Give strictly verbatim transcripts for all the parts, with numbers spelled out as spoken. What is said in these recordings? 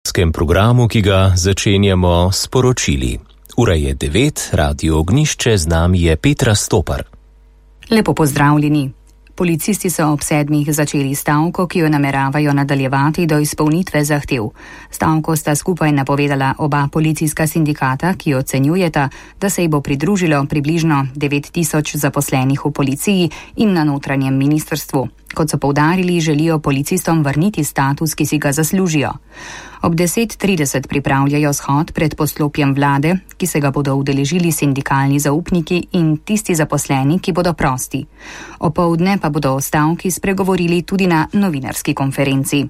V programu, ki ga začenjamo s poročili. Ura je devet, Radio Ognišče, z nami je Petra Stopar. Lepo pozdravljeni. Policisti so ob sedmih začeli stavko, ki jo nameravajo nadaljevati do izpolnitve zahtev. Stavko sta skupaj napovedala oba policijska sindikata, ki ocenjujeta, da se ji bo pridružilo približno devet tisoč zaposlenih v policiji in na notranjem ministrstvu. Kot so poudarili, želijo policistom vrniti status, ki si ga zaslužijo. Ob deset trideset pripravljajo shod pred poslopjem vlade, ki se ga bodo udeležili sindikalni zaupniki in tisti zaposleni, ki bodo prosti. Opoldne pa bodo o stavki spregovorili tudi na novinarski konferenci.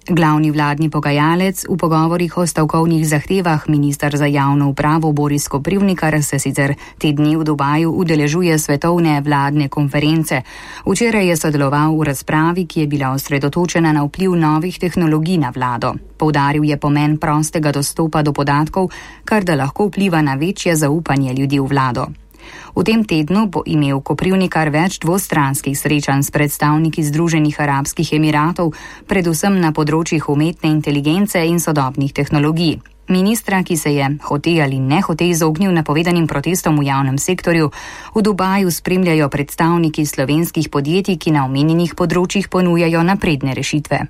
Glavni vladni pogajalec v pogovorih o stavkovnih zahtevah, minister za javno upravo Boris Koprivnikar, se sicer te dni v Dubaju udeležuje svetovne vladne konference. Včeraj je sodeloval v razpravi, ki je bila osredotočena na vpliv novih tehnologij na vlado. Poudaril je pomen prostega dostopa do podatkov, kar da lahko vpliva na večje zaupanje ljudi v vlado. V tem tednu bo imel Koprivnikar več dvostranskih srečanj s predstavniki Združenih arabskih emiratov, predvsem na področjih umetne inteligence in sodobnih tehnologij. Ministra, ki se je hote ali ne hote izognil napovedanim protestom v javnem sektorju, v Dubaju spremljajo predstavniki slovenskih podjetij, ki na omenjenih področjih ponujajo napredne rešitve.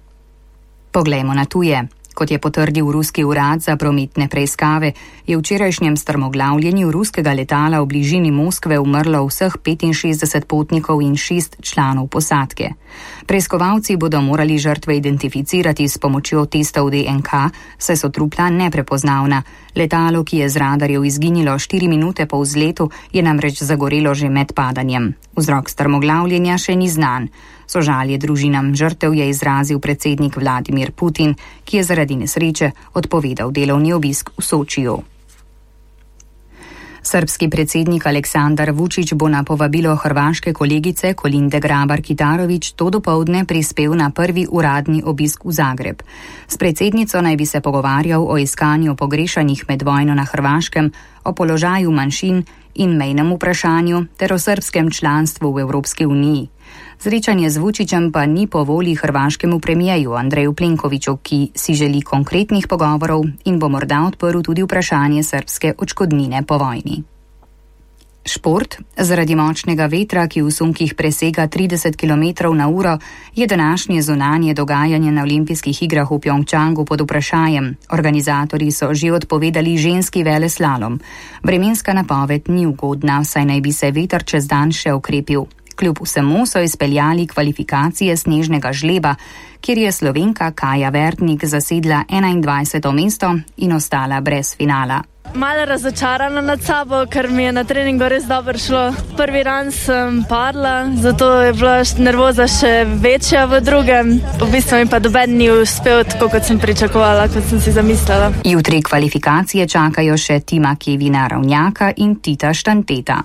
Poglejmo na tuje. Kot je potrdil ruski urad za prometne preiskave, je v včerajšnjem strmoglavljenju ruskega letala v bližini Moskve umrlo vseh petinšestdeset potnikov in šest članov posadke. Preiskovalci bodo morali žrtve identificirati s pomočjo testov D N K, saj so trupla neprepoznavna. Letalo, ki je z radarjev izginilo štiri minute po vzletu, je namreč zagorelo že med padanjem. Vzrok strmoglavljenja še ni znan. Sožalje družinam žrtev je izrazil predsednik Vladimir Putin, ki je zaradi nesreče odpovedal delovni obisk v Sočiju. Srbski predsednik Aleksandar Vučić bo na povabilo hrvaške kolegice Kolinde Grabar-Kitarović to dopoldne prispel na prvi uradni obisk v Zagreb. S predsednico naj bi se pogovarjal o iskanju pogrešanih med vojno na Hrvaškem, o položaju manjšin in mejnem vprašanju ter o srbskem članstvu v Evropski uniji. Srečanje z Vučićem pa ni po volji hrvaškemu premijeju Andreju Plenkoviću, ki si želi konkretnih pogovorov in bo morda odprl tudi vprašanje srbske odškodnine po vojni. Šport. Zaradi močnega vetra, ki v sunkih presega trideset kilometrov na uro, je današnje zunanje dogajanje na olimpijskih igrah v Pjongčangu pod vprašanjem. Organizatorji so že odpovedali ženski veleslalom. Vremenska napoved ni ugodna, saj naj bi se veter čez dan še okrepil. Kljub vsemu so izpeljali kvalifikacije snežnega žleba, kjer je Slovenka Kaja Vertnik zasedla enaindvajseto mesto in ostala brez finala. Malo razočarana nad sabo, ker mi je na treningu res dobro šlo. Prvi ran sem padla, zato je bila nervoza še večja v drugem. V bistvu mi pa doben ni uspel tako, kot sem pričakovala, kot sem si zamislila. Jutri kvalifikacije čakajo še Tima Kevina Ravnjaka in Tita Štanteta.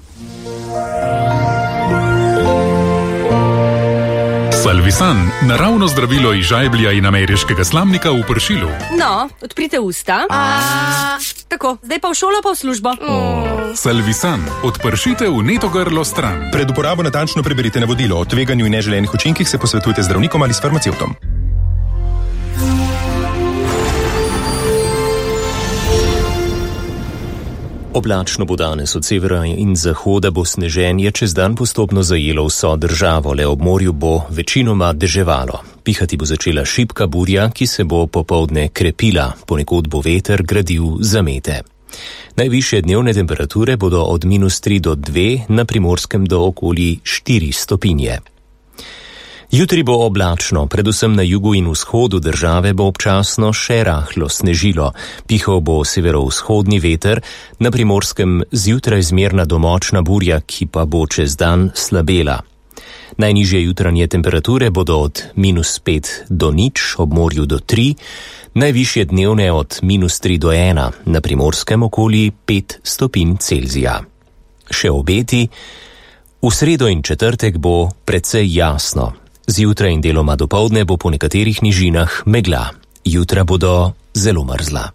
Salvisan, naravno zdravilo iz žajblja in ameriškega slamnika v pršilu. No, odprite usta. A... Tako, zdaj pa v šolo, pa v službo. Mm. Salvisan, odpršite vneto grlo stran. Pred uporabo natančno preberite navodilo. O tveganju in neželenih učinkih se posvetujte z zdravnikom ali s farmacevtom. Oblačno bo danes od severa in zahoda, bo sneženje čez dan postopno zajelo vso državo, le ob morju bo večinoma deževalo. Pihati bo začela šibka burja, ki se bo popoldne krepila, ponekod bo veter gradil zamete. Najvišje dnevne temperature bodo od minus tri do dve, na Primorskem do okoli štiri stopinje. Jutri bo oblačno, predvsem na jugu in vzhodu države bo občasno še rahlo snežilo. Pihal bo severovzhodni veter, na Primorskem zjutraj zmerna do močna burja, ki pa bo čez dan slabela. Najnižje jutranje temperature bodo od minus pet do nič, ob morju do tri, najvišje dnevne od minus tri do ena, na Primorskem okoli pet stopinj Celzija. Še obeti. V sredo in četrtek bo precej jasno. Zjutraj in deloma dopoldne bo po nekaterih nižinah megla. Jutra bodo zelo mrzla.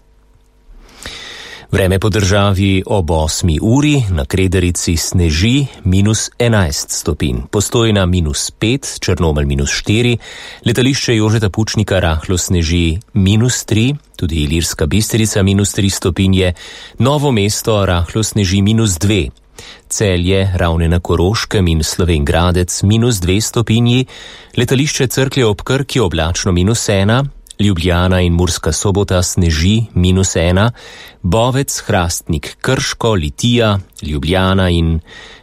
Vreme po državi ob osmi uri, na Krederici sneži minus enajst stopinj, Postojna minus pet, Črnomelj minus štiri, letališče Jožeta Pučnika rahlo sneži minus tri, tudi Ilirska Bistrica minus tri stopinje, Novo mesto rahlo sneži minus dve, Celje, Ravne na Koroškem in Slovenj Gradec minus dve stopinji, letališče Cerklje ob Krki oblačno minus ena, Ljubljana in Murska Sobota sneži minus ena, Bovec, Hrastnik, Krško, Litija, Ljubljana in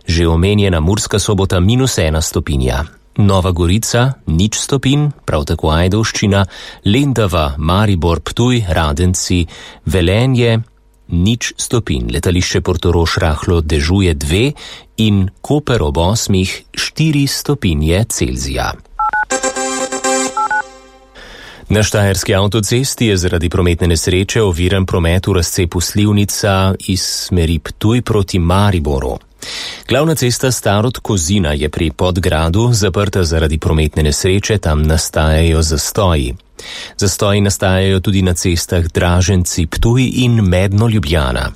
že omenjena Murska Sobota minus ena stopinja. Nova Gorica nič stopinj, prav tako Ajdovščina, Lendava, Maribor, Ptuj, Radenci, Velenje nič stopinj, letališče Portorož rahlo dežuje dve in Koper ob osmih štiri stopinje Celzija. Na štajerski avtocesti je zaradi prometne nesreče oviran promet v razcepu Slivnica iz smeri Ptuj proti Mariboru. Glavna cesta Starod-Kozina je pri Podgradu zaprta zaradi prometne nesreče, tam nastajajo zastoji. Zastoji nastajajo tudi na cestah Draženci-Ptuj in Medno-Ljubljana.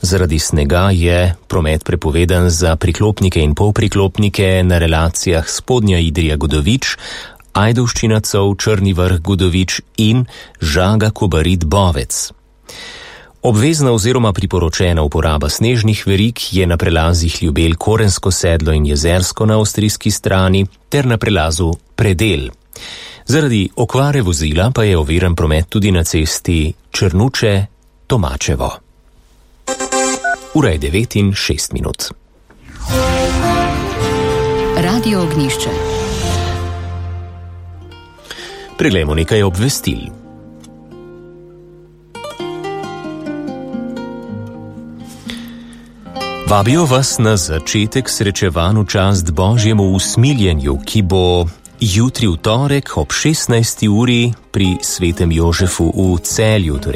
Zaradi snega je promet prepovedan za priklopnike in polpriklopnike na relacijah Spodnja Idrija-Godovič, Ajdovščina Cov, Črni Vrh Godovič in Žaga Kobarid Bovec. Obvezna oziroma priporočena uporaba snežnih verig je na prelazih Ljubelj, Korensko sedlo in Jezersko na avstrijski strani ter na prelazu Predel. Zaradi okvare vozila pa je oviran promet tudi na cesti Črnuče-Tomačevo. Ura je devet in šest minut. Radio Ognjišče. Preglejmo nekaj obvestil. Vabijo vas na začetek srečevanj v čast Božjemu usmiljenju, ki bo jutri v torek ob šestnajsti uri pri Svetem Jožefu v Celju, torej